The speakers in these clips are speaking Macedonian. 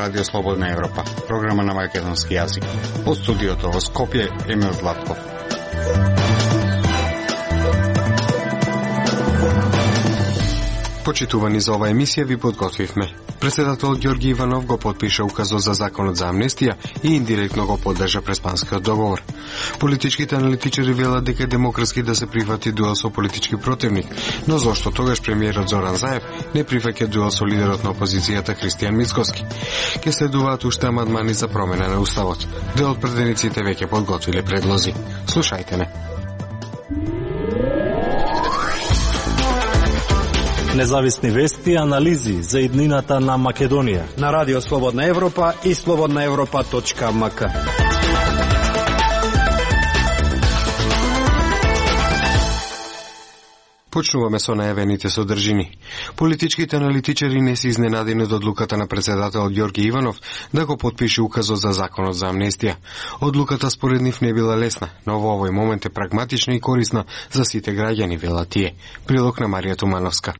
Радио Слободна Европа, програма на македонски јазик. Од студиото во Скопје, Емил Златков. Почитувани за оваа емисија ви подготвивме. Председателот Ѓорги Иванов го потпиша указот за законот за амнестија и индиректно го поддржа Преспанскиот договор. Политичките аналитичари велат дека е демократски да се прифати дуел со политички противник, но зошто тогаш премиерот Зоран Заев не прифаќа дуел со лидерот на опозицијата Христијан Мицкоски? Ке следуваат уште амандмани за промена на уставот. Дел од претениците веќе подготвиле предлози. Слушајте не. Независни вести и анализи за иднината на Македонија на Радио Слободна Европа и slobodnaevropa.mk. Почнуваме со најавените содржини. Политичките аналитичари не се изненадени од одлуката на председателот Ѓорги Иванов да го потпише указот за законот за амнестија. Одлуката според нив не била лесна, но во овој момент е прагматична и корисна за сите граѓани, велат тие. Прилог на Марија Тумановска.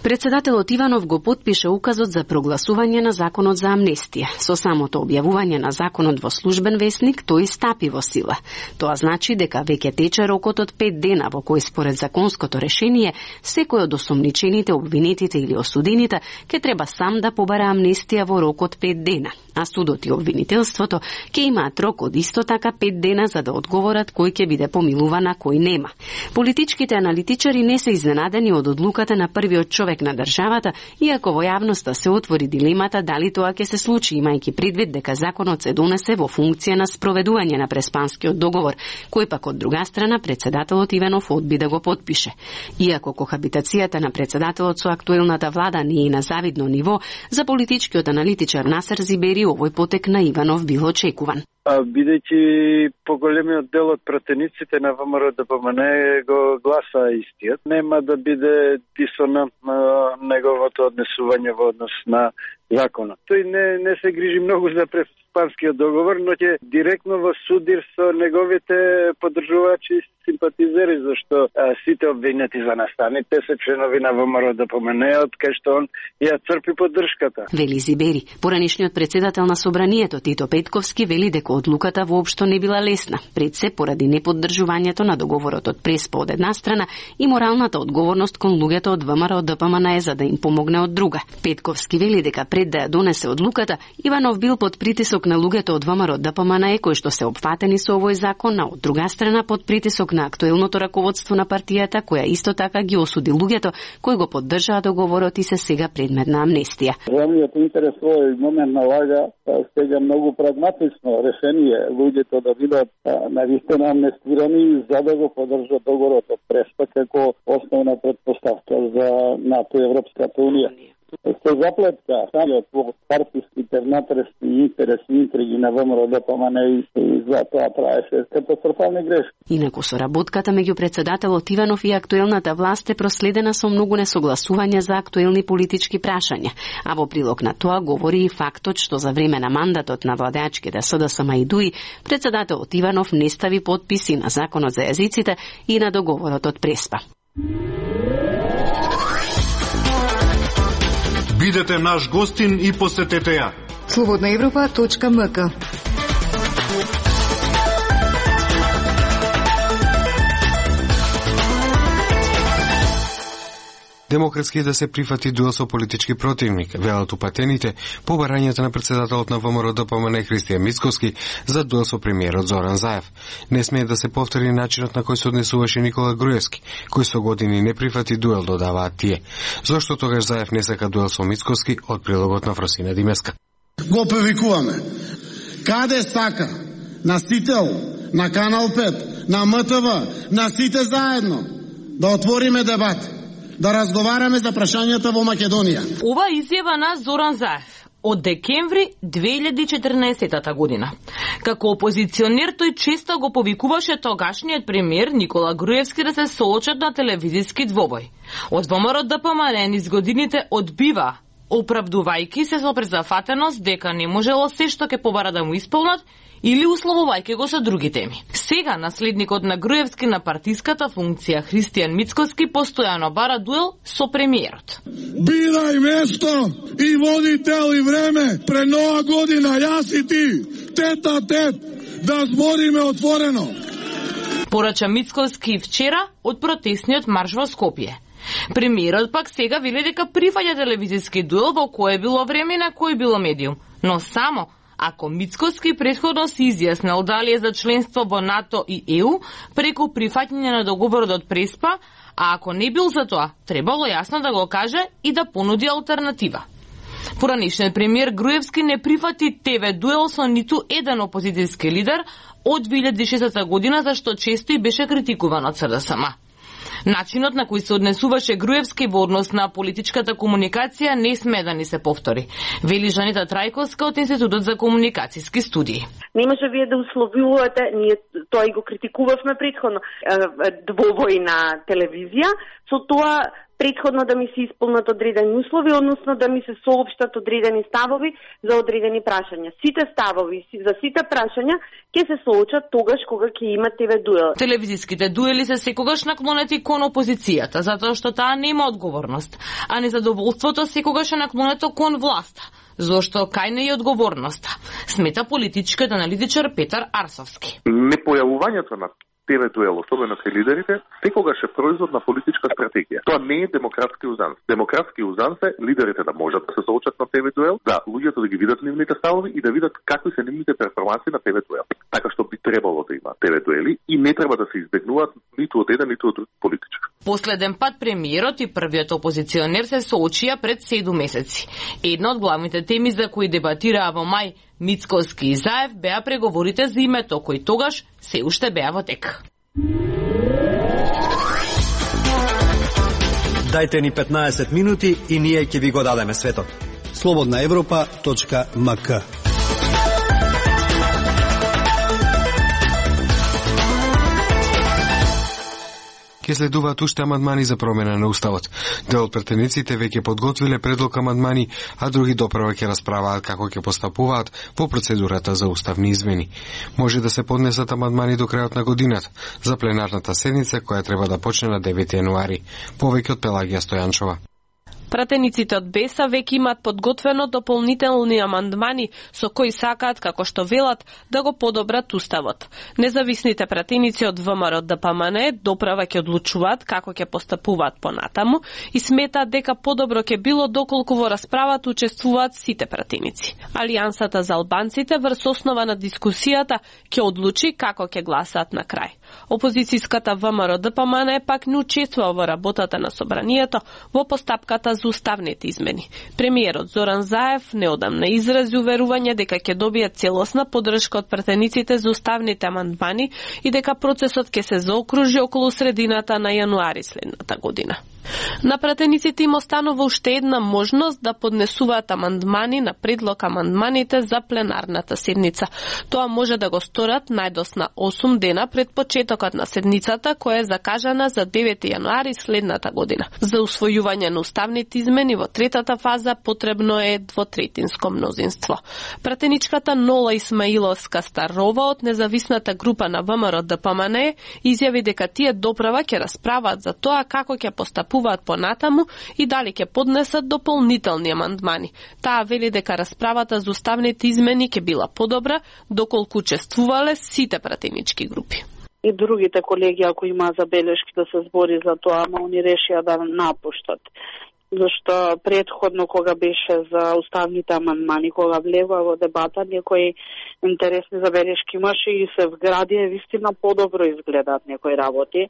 Председателот Иванов го потпише указот за прогласување на законот за амнестија. Со самото објавување на законот во службен весник, тој стапи во сила. Тоа значи дека веќе тече рокот од 5 дена во кој според законското решение секој од осомничените, обвинетите или осудените ќе треба сам да побара амнестија во рок од 5 дена, а судот и обвинителството ќе имаат рок од исто така 5 дена за да одговорат кој ќе биде помилуван, а кој нема. Политичките аналитичари не се изненадени од одлуката на првиот човек на државата, иако во јавноста се отвори дилемата дали тоа ќе се случи, имајќи предвид дека законот се донесе во функција на спроведување на Преспанскиот договор, кој пак од друга страна председателот Иванов одби да го потпише. Иако кохабитацијата на председателот со актуелната влада не е на завидно ниво, за политичкиот аналитичар Насер Зибери овој потек на Иванов бил очекуван. Бидејќи поголемиот дел од пратениците на ВМРО-ДПМН го гласа истиот, нема да биде дисонантно неговото однесување во однос на законот. Тој не се грижи многу за Преспанскиот договор, но ќе директно во судир со неговите поддржувачи и симпатизери, зашто сите обвинети за настаните се членови на ВМРО-ДПМН, од кај што он ја црпи поддршката. Вели Зибери. Поранишниот председател на Собранието Тито Петковски вели дека одлуката воопшто не била лесна, пред се поради неподдржувањето на договорот од Преспа од една страна и моралната одговорност кон луѓето од ВМРО-ДПМН за да им помогне од друга. Петковски вели дека пред да ја донесе одлуката, Иванов бил под притисок на луѓето од ВМРО-ДПМН кои што се опфатени со овој закон, а од друга страна под притисок на актуелното раководство на партијата, која исто така ги осуди луѓето кои го поддржаа договорот и се сега предмет на амнестија. Државниот интерес во овој момент налага сега многу прагматично решение луѓето да бидат навистина амнестирани за да го поддржат договорот од Преспа како основна предпоставка за НАТО и Европската унија. Се заплетка во партиските внатрешни интереси и интриги на ВМРО-ДПМН и за тоа траеше катастрофални грешки. Инаку соработката меѓу председателот Иванов и актуелната власт е проследена со многу несогласувања за актуелни политички прашања, а во прилог на тоа говори и фактот што за време на мандатот на владеачките СДСМ и ДУИ председателот Иванов не стави потписи на законот за јазиците и на договорот од Преспа. Бидете наш гостин и посетете ја. slobodnaevropa.mk. Демократски е да се прифати дуел со политички противник, велат упатените по барањето на председателот на ВМРО-ДПМН Христијан Мицкоски за дуел со премиерот Зоран Заев. Не смее да се повтори начинот на кој се однесуваше Никола Груевски, кој со години не прифати дуел, додаваат тие. Зошто тогаш Заев не сака дуел со Мицкоски, од прилогот на Фросина Димеска. Го повикуваме. Каде сака? На Сител, на Канал 5, на МТВ, на сите заедно да отвориме дебат, да разговараме за прашањата во Македонија. Ова изјава на Зоран Заев од декември 2014 година. Како опозиционер тој често го повикуваше тогашниот премиер Никола Груевски да се соочат на телевизиски двобој. Од ВМРО-ДПМН низ годините одбива оправдувајќи се со презафатеност дека не можело се што ќе побара да му исполнат или условувајќи го со други теми. Сега наследникот на Груевски на партиската функција Христијан Мицкоски постојано бара дуел со премиерот. Бирај место и води тел и време пред нова година, јас и ти, тета тет, да збориме отворено. Порача Мицкоски вчера од протестниот марш во Скопје. Премиерот пак сега вели дека прифаќа телевизиски дуел во кое било време на кој било медиум, но само ако Мицкоски претходно се изјаснил дали е за членство во НАТО и ЕУ преку прифаќање на договорот од Преспа, а ако не бил за тоа, требало јасно да го каже и да понуди алтернатива. Поранешниот премиер Груевски не прифати ТВ дуел со ниту еден опозицијски лидер од 2006 година, зашто често и беше критикуван од СДСМ. Начинот на кој се однесуваше Груевски во однос на политичката комуникација не сме да ни се повтори, вели Жанета Трајковска од Институтот за комуникацијски студии. Не може вие да условувате, ние тоа и го критикувавме претходно, двовојна телевизија, со тоа претходно да ми се исполнат одредени услови, односно да ми се соопштат одредени ставови за одредени прашања. Сите ставови за сите прашања ќе се соочат тогаш кога ќе има ТВ дуел. Телевизиските дуели се секогаш наклонети кон опозицијата, затоа што таа нема одговорност, а незадоволството секогаш е наклонето кон власта, зошто кај не е одговорноста, смета политичкиот аналитичар Петар Арсовски. Непојавувањето на ТВ дуел, особено кај лидерите, секогаш е производ на политичка стратегија. Тоа не е демократски узанс. Демократски узанс е лидерите да можат да се соочат на ТВ дуел, да луѓето да ги видат нивните ставови и да видат какви се нивните перформанси на ТВ дуел. Така што би требало да има ТВ дуели и не треба да се избегнуваат ниту од еден, ниту од друг политичар. Последен пат премиерот и првиот опозиционер се соочија пред 7 месеци. Една од главните теми за кои дебатираа во мај Мицкоски и Заев беа преговорите за името, кои тогаш се уште беа во тек. Дајте ни 15 минути и ние ќе ви го дадеме светот. slobodnaevropa.mk. Ке следуваат уште амандмани за промена на уставот. Дел од претениците веќе подготвиле предлог амандмани, а други доправа ќе расправаат како ќе постапуваат во процедурата за уставни измени. Може да се поднесат амандмани до крајот на годината за пленарната седница која треба да почне на 9 јануари. Повеќе од Пелагија Стојанчова. Пратениците од БЕСА веќе имаат подготвено дополнителни амандмани со кои сакаат, како што велат, да го подобрат уставот. Независните пратеници од ВМРО ДПМН доправа ќе одлучуваат како ќе постапуваат понатаму и сметаат дека подобро ќе било доколку во расправата учествуваат сите пратеници. Алијансата за албанците врз основа на дискусијата ќе одлучи како ќе гласаат на крај. Опозицијската ВМРО ДПМН пак не учествува во работата на собранието во постапката за уставните измени. Премиерот Зоран Заев неодамна изрази уверување дека ќе добие целосна поддршка од пратениците за уставните амандмани и дека процесот ќе се заокружи околу средината на јануари следната година. На пратениците им останува уште една можност да поднесуваат амандмани на предлог амандманите за пленарната седница. Тоа може да го сторат најдосна 8 дена пред почетокот на седницата, која е закажана за 9 јануари следната година. За усвојување на уставните измени во третата фаза потребно е двотретинско мнозинство. Пратеничката Нола Исмаиловска Старова од независната група на ВМРО ДПМН изјави дека тие доправа ќе расправаат за тоа како ќе постапуваат понатаму и дали ќе поднесат дополнителни амандмани. Таа вели дека расправата за уставните измени ќе била подобра доколку учествувале сите пратенички групи. И другите колеги, ако има забелешки да се збори за тоа, ама они решија да напуштат. Зашто предходно кога беше за уставните амандмани, кога влева во дебата, некои интересни забелешки имаше и се вградија, вистина подобро изгледаат некои работи,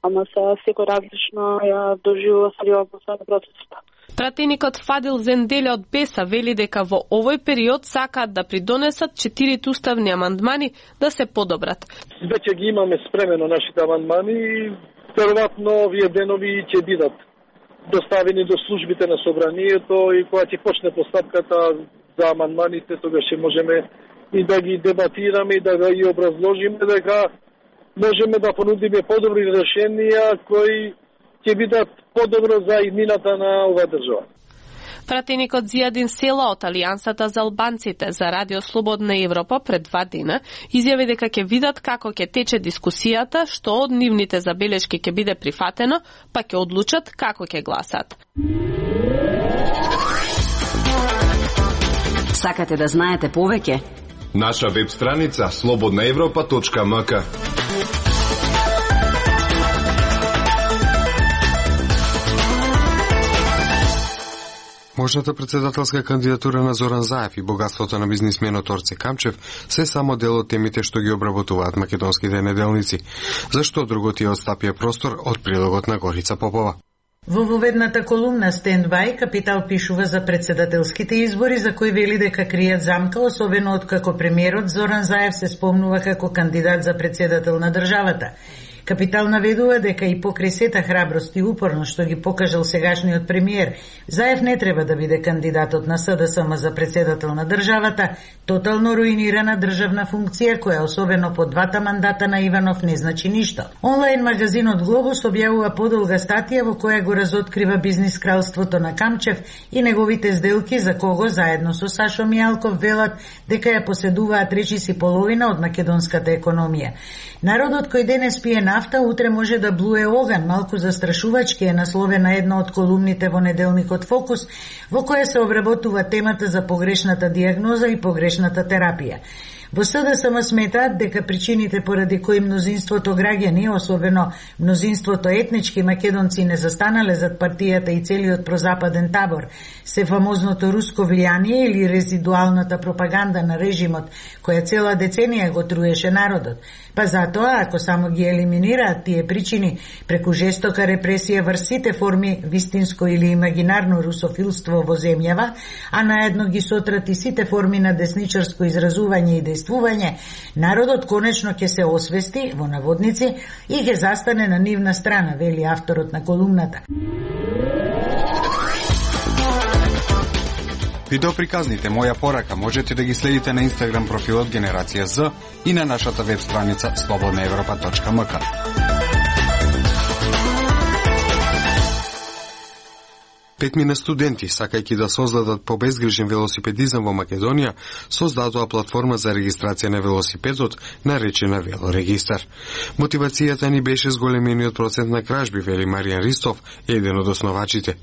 ама сега секој различно ја доживува сериозноста на процесот. Пратеникот Фадил Зенделе од БЕСА вели дека во овој период сакаат да придонесат 4 уставни амандмани да се подобрат. Веќе ги имаме спремено нашите амандмани и веројатно овие денови ќе бидат доставени до службите на собранието и кога ќе почне постапката за амандманите, тогаш ќе можеме и да ги дебатираме и да ги образложиме дека можеме да понудиме подобри решенија кои ќе бидат подобро за иднината на оваа држава. Пратеникот Зијадин Села од Алијансата за албанците за Радио Слободна Европа пред 2 дена изјави дека ќе видат како ќе тече дискусијата, што од нивните забелешки ќе биде прифатено, па ќе одлучат како ќе гласат. Сакате да знаете повеќе? Наша веб страница slobodnaevropa.mk. Можната председателска кандидатура на Зоран Заев и богатството на бизнисменот Орце Камчев се само дел од темите што ги обработуваат македонските неделници. Зашто друго ти одстапија простор од прилогот на Горица Попова. Во воведната колумна Стендбај, Капитал пишува за председателските избори за кои вели дека кријат замка, особено откако премиерот Зоран Заев се спомнува како кандидат за председател на државата. Капитал наведува дека и покрај сета храброст и упорност што ги покажал сегашниот премиер, Заев не треба да биде кандидатот на СДСМ за председател на државата, тотално руинирана државна функција која особено по 2 мандата на Иванов не значи ништо. Онлайн магазинот Глобус објавува подолга статија во која го разоткрива бизнис кралството на Камчев и неговите сделки за кого заедно со Сашо Мијалков велат дека ја поседуваат речиси половина од македонската економија. Народот кој денес пие нафта, утре може да блуе оган, малку застрашувачки е насловена една од колумните во неделникот Фокус, во која се обработува темата за погрешната диагноза и погрешната терапија. Во СДСМ сметаат дека причините поради кои мнозинството граѓани, особено мнозинството етнички македонци не застанале зад партијата и целиот прозападен табор, се фамозното руско влијание или резидуалната пропаганда на режимот, која цела деценија го труеше народот. Па затоа, ако само ги елиминираат тие причини преку жестока репресија врз сите форми вистинско или имагинарно русофилство во земјава, а наедно ги сотрат и сите форми на десничарско изразување и действување, народот конечно ќе се освести, во наводници, и ќе застане на нивна страна, вели авторот на колумната. Видеоприказните Моја порака можете да ги следите на Инстаграм профилот Генерација З и на нашата веб страница slobodnaevropa.mk. Петмина студенти, сакајќи да создадат побезгрижен велосипедизам во Македонија, создадоа платформа за регистрација на велосипедот, наречена Велорегистар. Мотивацијата ни беше зголемениот процент на кражби, вели Маријан Ристов, еден од основачите.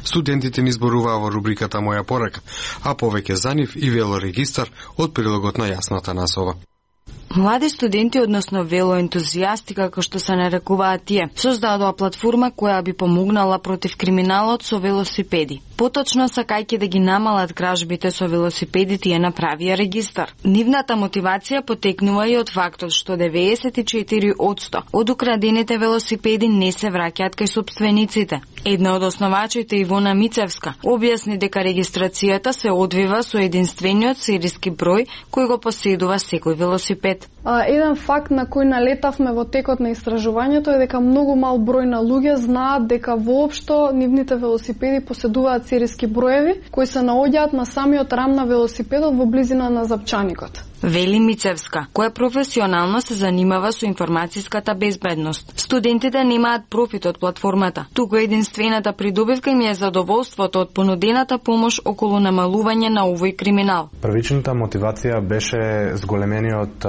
Студентите ни зборуваа во рубриката Моја порака, а повеќе за нив и Велорегистар од прилогот на Јасната Насова. Млади студенти, односно велоентузијасти, како што се нарекуваат тие, создадоа платформа која би помогнала против криминалот со велосипеди. Поточно, сакајќи да ги намалат кражбите со велосипедите, ја направија регистар. Нивната мотивација потекнува и од фактот што 94% од украдените велосипеди не се враќаат кај сопствениците. Една од основачите, Ивона Мицевска, објасни дека регистрацијата се одвива со единствениот сериски број кој го поседува секој велосипед. Еден факт на кој налетавме во текот на истражувањето е дека многу мал број на луѓе знаат дека воопшто нивните велосипеди поседуваат сериски броеви кои се наоѓаат на самиот рам на велосипедот во близина на запчаникот. Вели Мицевска, која професионално се занимава со информацијската безбедност. Студентите немаат профит од платформата, туку единствената придобивка им е задоволството од понудената помош околу намалување на овој криминал. Првичната мотивација беше зголемениот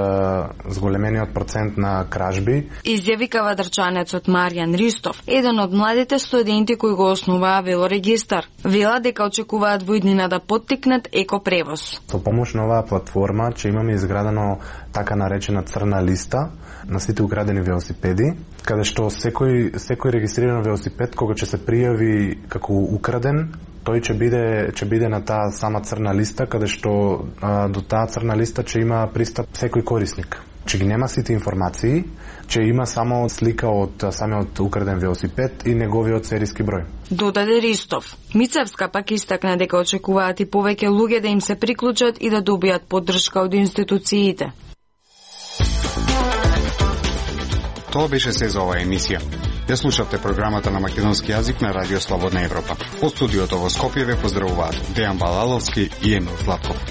процент на кражби. Изјави кавадарчанецот Маријан Ристов, еден од младите студенти кои го основаа Велорегистар. Вела дека очекуваат во иднина да поттикнат екопревоз. Со помош на оваа платформа ќе имаме изградено така наречена црна листа на сите украдени велосипеди, каде што секој регистриран велосипед кога ќе се пријави како украден, тој ќе биде на таа сама црна листа, каде што до таа црна листа ќе има пристап секој корисник. Че ги нема сите информации, че има само слика од самиот украден велосипед и неговиот сериски број. Додаде Ристов. Мицевска пак истакна дека очекуваат и повеќе луѓе да им се приклучат и да добијат поддршка од институциите. Тоа беше се за оваа емисија. Ја слушавте програмата на македонски јазик на Радио Слободна Европа. Од студиото во Скопје ве поздравуваат Дејан Балаловски и Емил Златков.